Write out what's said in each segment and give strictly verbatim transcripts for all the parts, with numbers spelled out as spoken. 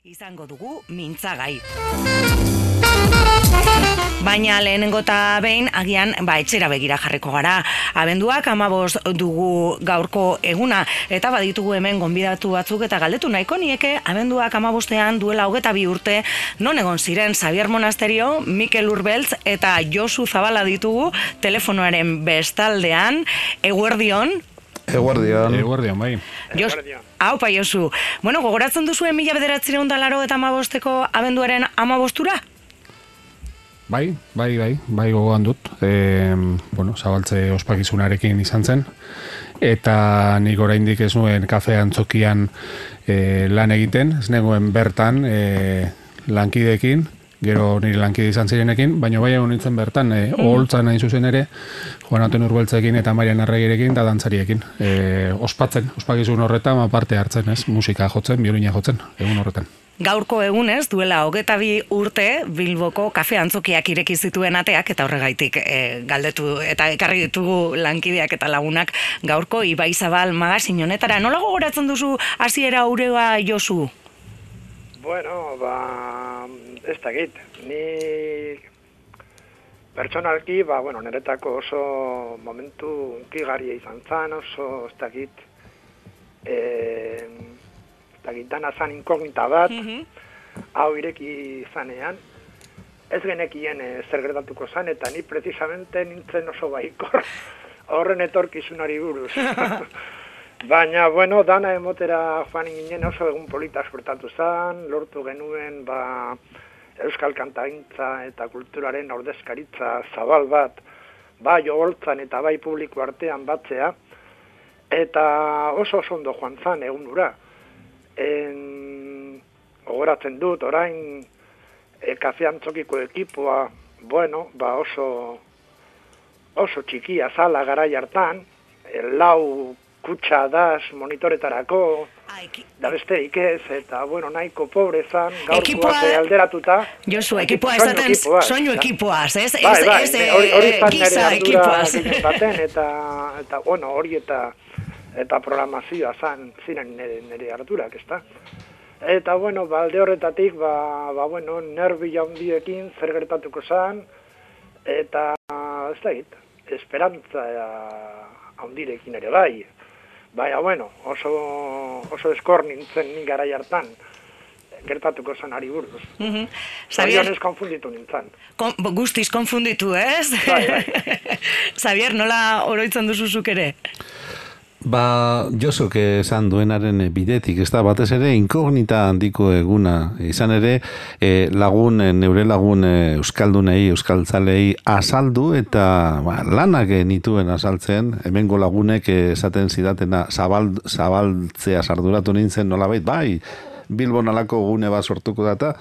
izango dugu mintzagai. Baina lehenengo eta behin agian ba etxera begira jarriko gara. Abenduak hamabost dugu gaurko eguna eta baditugu hemen gonbidatu batzuk eta galdetu nahiko nieke abenduak hamabostean duela hogeita bi urte non egon ziren Xabier Monasterio, Mikel Urbeltz eta Josu Zabala ditugu telefonoaren bestaldean. Eguerdion. Eguerdion. Eguerdion, bai. Jos, haupa, Josu. Bueno, gogoratzen duzuen mila bederatziehun eta laurogeita hamabosteko abenduaren hamabostura? Bai, bai, bai, bai gogoan dut. E, bueno, Zabaltze ospakizunarekin izan zen. Eta nik oraindik ez nuen kafe antzokian e, lan egiten, ez nengoen bertan e, lankideekin, gero nire lankide izan zirenekin, baina bai egon nintzen bertan, e, oholtzan hain zuzen ere, Juan Antonio Urbeltzekin eta Marian Arregirekin eta dantzariekin. E, ospatzen, ospakizun horretan parte hartzen, ez, musika jotzen, biolina jotzen, egun horretan. Gaurko egunez, duela hogeita bi urte Bilboko kafe antzokiak ireki zituen ateak eta horregaitik e, galdetu eta ekarri ditugu lankideak eta lagunak gaurko Ibai Zabal magazin honetara. Nola gogoratzen duzu hasiera ureoa, Josu? Bueno, ba, ez dakit. Ni pertsonalki, ba, bueno, niretako oso momentu unkigarria izan zen, oso ez dakit, eh, dana zan inkognita bat, mm-hmm. hau ireki zanean, ez genekien e, zer gertatuko zan, eta ni precisamente nintzen oso baikor horren etorkizunari buruz. Baina, bueno, dana emotera joan ginen oso egun polita suertatu zan, lortu genuen ba, euskal kantagintza eta kulturaren ordezkaritza zabal bat, bai oholtzan eta bai publiko artean batzea, eta oso oso ondo joan zan egun ura. En, ogoratzen dut, orain e, kafe antzokiko ekipoa, bueno, ba oso oso txikia zala garai hartan, e, lau kutsa daz monitoretarako, da besterik ez, eta bueno, nahiko pobre zan, gaurkoak alderatuta. Josu, ekipoa esaten soinu ekipoaz, ez? Bai, bai, hori zan giza ekipoaz. Baten, eta, eta bueno, hori eta eta programazioa zan ziren nire, nire harturak, ezta? Eta, bueno, ba, alde horretatik, ba, ba, bueno, nervi handiekin zer gertatuko zan, eta, ez da hit, esperantza handirekin ere bai. Baina, bueno, oso, oso eskor nintzen ni garai hartan, gertatuko zan ari buruz. Mm-hmm. Xabier konfunditu nintzen. Kon, guztiz konfunditu, ez? Bai, bai. Xabier, nola oroitzen duzuzuk ere? Ba, Josuk esan duenaren bidetik, ez da, batez ere inkognita handiko eguna, izan ere e, lagun, neure lagun e, euskaldunei, euskaltzalei azaldu eta ba, lanak nituen azaltzen, hemengo lagunek esaten zidatena zabal, zabaltzea sarduratu nintzen nolabait, bai, Bilbon alako gune bat sortuko data,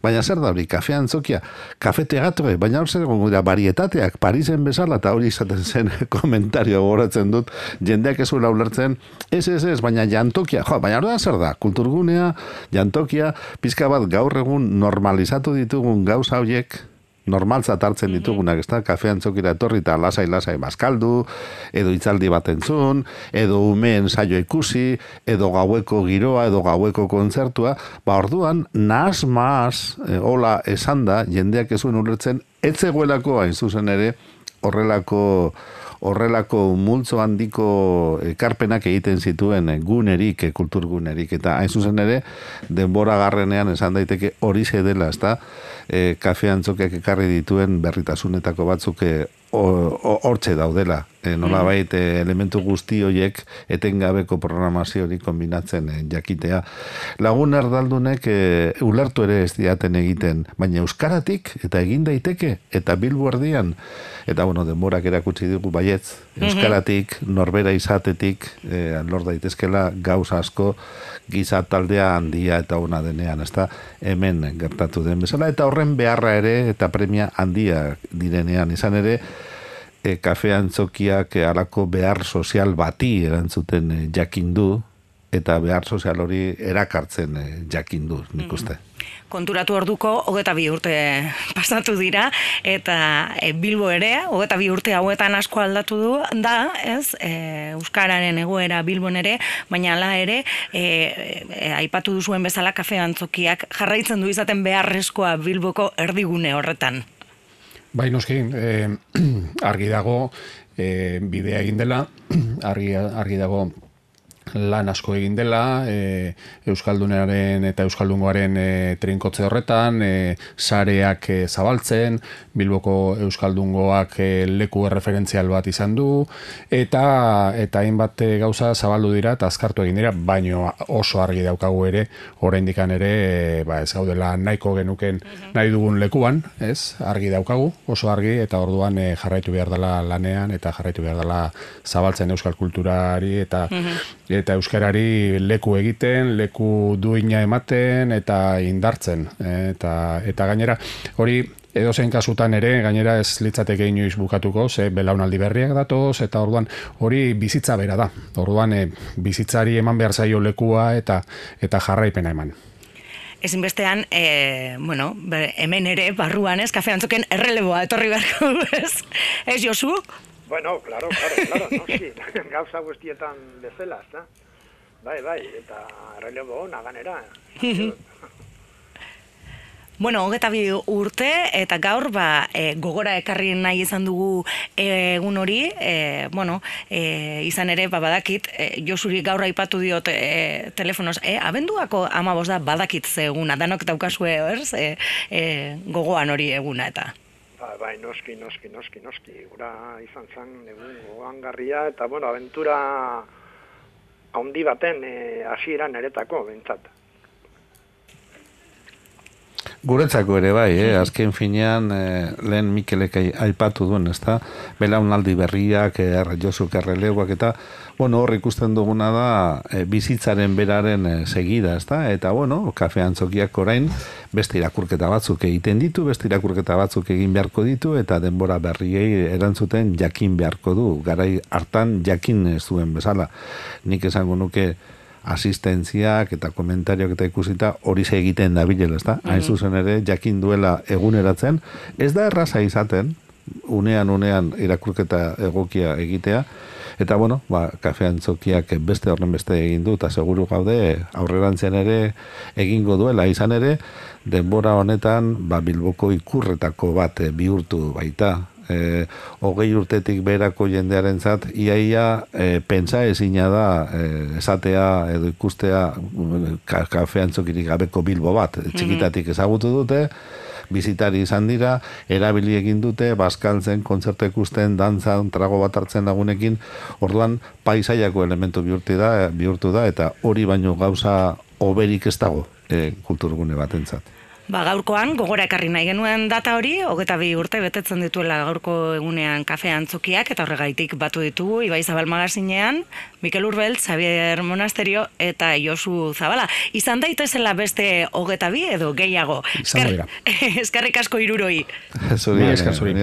baina zer da hori, kafe antzokia, kafe teatro, baina hor zer gonguera, varietateak, Parisen bezala, eta hori izaten zen komentario goratzen dut, jendeak ez uela ulertzen, ez, ez, ez, baina jantokia, jo, baina hori da zer da, kulturgunea, jantokia, pizka bat gaur egun normalizatu ditugun gauza horiek, normaltzat hartzen ditugunak, ez da, kafe antzokira etorri eta lasai-lasai bazkaldu, edo hitzaldi bat entzun, edo umeen saio ikusi, edo gaueko giroa, edo gaueko kontzertua, ba orduan, nahaz maaz, e, hola esan da, jendeak ezuen ulertzen, etzegoelako hain zuzen ere, horrelako horrelako multzo handiko ekarpenak egiten zituen gunerik, kulturgunerik, eta hain zuzen ere, denbora garrenean esan daiteke hori dela, ez da, e, kafe antzokiak ekarri dituen berritasunetako batzuk hortxe daudela. E, nolabait e, elementu guzti horiek etengabeko programazio hori kombinatzen e, jakitea. Lagun erdaldunek e, ulertu ere ez diaten egiten, baina euskaratik eta egin daiteke, eta Bilbo erdian, eta bueno, denborak erakutsi dugu baietz, euskaratik, norbera izatetik, e, lor daitezkela gauza asko, giza taldea handia eta ona denean, ez da, hemen gertatu den bezala, eta horren beharra ere, eta premia handia direnean, izan ere, e, kafe antzokiak e, alako behar sozial bati erantzuten e, jakin du, eta behar sozial hori erakartzen e, jakin du, nik uste. Konturatu orduko, hogeta bi urte pasatu dira, eta e, Bilbo ere, hogeta bi urte hauetan asko aldatu du, da, ez, e, Euskararen egoera Bilbon ere, baina ala ere, e, e, aipatu duzuen bezala kafe antzokiak jarraitzen du izaten beharrezkoa Bilboko erdigune horretan. Bai, noski, eh, argi dago, eh, bidea egin dela, argi, argi dago, lan asko egin dela, e, Euskaldunaren eta Euskaldungoaren e, trinkotze horretan, e, sareak e, zabaltzen, Bilboko Euskaldungoak e, leku erreferentzial bat izan du, eta eta hainbat gauza zabaldu dira eta azkartu egin dira, baino oso argi daukagu ere, oraindikan ere, e, ba, ez gaudela nahiko genuken nahi dugun lekuan, ez? Argi daukagu, oso argi, eta orduan e, jarraitu behar dela lanean, eta jarraitu behar dela zabaltzen euskal kulturari, eta eta euskarari leku egiten, leku duina ematen eta indartzen. Eta, eta gainera, hori edozein kasutan ere, gainera ez litzateke inoiz bukatuko, ze belaunaldi berriak datoz, eta orduan hori bizitza bera da. Orduan e, bizitzari eman behar zaio lekua eta eta jarraipena eman. Ezinbestean, e, bueno, hemen ere, barruan ez, kafe antzoken erreleboa etorri beharko, ez? Ez, Josu? Bueno, claro, claro, claro, no, sí, gauza guztietan bezala, ezta? Bai, bai, eta errelebo ona ganera. Bueno, hogeta bi urte, eta gaur, ba, e, gogora ekarri nahi izan dugu e, egun hori, e, bueno, e, izan ere, ba, badakit, e, Josuri gaur aipatu diot e, telefonoz, e, abenduako amabos da badakit ze eguna, danok daukazue, ez, e, e, gogoan hori eguna, eta... Ba, bai, noski, noski, noski, noski, gura izan zen egun gogangarria, eta, bueno, aventura handi baten hasieran e, eretako, bentsat. Guretzako ere bai, eh? Azken finean eh, lehen Mikelek aipatu duen, ezta? Belaunaldi berriak, er, Josuk erreleuak eta, bueno, hor ikusten duguna da eh, bizitzaren beraren eh, segida, ezta? Eta, bueno, kafe antzokiak orain beste irakurketa batzuk egiten ditu, beste irakurketa batzuk egin beharko ditu, eta denbora berriei erantzuten jakin beharko du, garai hartan jakin ez duen bezala. Nik esango nuke asistentziak eta komentariok eta ikusita hori egiten da bilela, ezta? Mm-hmm. Hain zuzen ere, jakin duela eguneratzen, ez da erraza izaten, unean unean irakurketa egokia egitea, eta bueno, ba, kafe antzokiak beste horren beste egin du, eta seguru gaude aurrerantzean ere egingo duela, izan ere, denbora honetan, ba, Bilboko ikurretako bat bihurtu baita, E, hogei urtetik beherako jendearentzat iaia e, pentsa ezina da e, esatea edo ikustea ka, kafe antzokirik gabeko Bilbo bat, txikitatik ezagutu dute, bizitari izan dira, erabili egin dute, bazkaltzen, kontzertu ikusten, dantzan, trago bat hartzen lagunekin, orduan paisaiako elementu bihurtu da, bihurtu da, eta hori baino gauza oberik ez dago e, kulturgune batentzat. Ba, gaurkoan, gogora ekarri nahi genuen data hori, hogeta bi urte betetzen dituela gaurko egunean kafe antzokiak, eta horregaitik batu ditugu, Ibai Zabal magazinean, Mikel Urbel, Xavier Monasterio eta Josu Zabala. Izan daitezela beste hogeta bi edo gehiago. Izan dira. Eskerrik asko hiruroi. Zuri, esker, zuri.